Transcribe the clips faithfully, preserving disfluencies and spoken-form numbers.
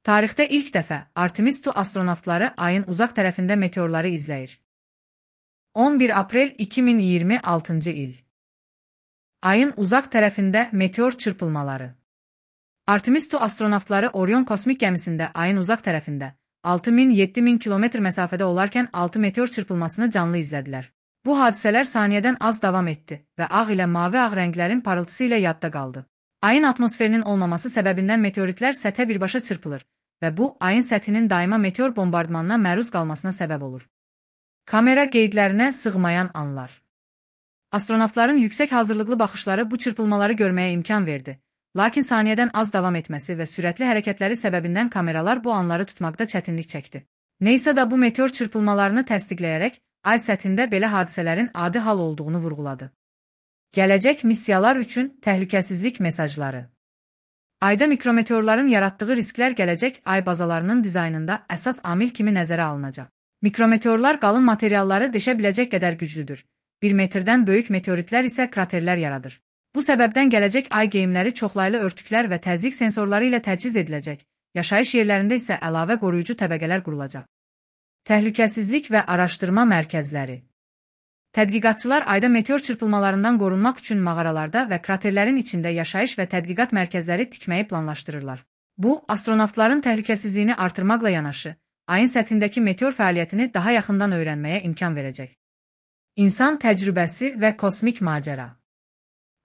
Tarixdə ilk dəfə Artemis iki astronavtları ayın uzaq tərəfində meteorları izləyir. on bir aprel iki min iyirmi altıncı il. Ayın uzaq tərəfində meteor çırpılmaları. Artemis iki astronavtları Orion kosmik gəmisində ayın uzaq tərəfində altı min yeddi min kilometr məsafədə olarkən altı meteor çırpılmasını canlı izlədilər. Bu hadisələr saniyədən az davam etdi və ağ ilə mavi ağ rənglərin parıltısı ilə yadda qaldı. Ayın atmosferinin olmaması səbəbindən meteoritlər səthə birbaşa çırpılır və bu, ayın səthinin daima meteor bombardmanına məruz qalmasına səbəb olur. Kamera qeydlərinə sığmayan anlar. Astronavtların yüksək hazırlıqlı baxışları bu çırpılmaları görməyə imkan verdi. Lakin saniyədən az davam etməsi və sürətli hərəkətləri səbəbindən kameralar bu anları tutmaqda çətinlik çəkdi. NASA da bu meteor çırpılmalarını təsdiqləyərək, ay səthində belə hadisələrin adi hal olduğunu vurğuladı. Gələcək missiyalar üçün təhlükəsizlik mesajları. Ayda mikrometeorların yaratdığı risklər gələcək ay bazalarının dizaynında əsas amil kimi nəzərə alınacaq. Mikrometeorlar qalın materialları deşə biləcək qədər güclüdür. bir metrdən böyük meteoritlər isə kraterlər yaradır. Bu səbəbdən gələcək ay geyimləri çoxlaylı örtüklər və təzyiq sensorları ilə təchiz ediləcək, yaşayış yerlərində isə əlavə qoruyucu təbəqələr qurulacaq. Təhlükəsizlik və araşdırma mərkəzləri. Tədqiqatçılar ayda meteor çırpılmalarından qorunmaq üçün mağaralarda və kraterlərin içində yaşayış və tədqiqat mərkəzləri tikməyi planlaşdırırlar. Bu, astronavtların təhlükəsizliyini artırmaqla yanaşı, ayın səthindəki meteor fəaliyyətini daha yaxından öyrənməyə imkan verəcək. İnsan təcrübəsi və kosmik macəra.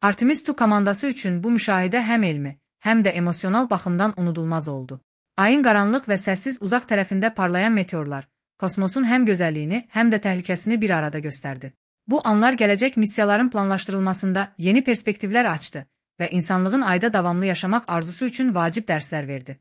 Artemis iki komandası üçün bu müşahidə həm elmi, həm də emosional baxımdan unudulmaz oldu. Ayın qaranlıq və səssiz uzaq tərəfində parlayan meteorlar, kosmosun həm gözəlliyini, həm də təhlükəsini bir arada göstərdi. Bu anlar gələcək missiyaların planlaşdırılmasında yeni perspektivlər açdı və insanlığın ayda davamlı yaşamaq arzusu üçün vacib dərslər verdi.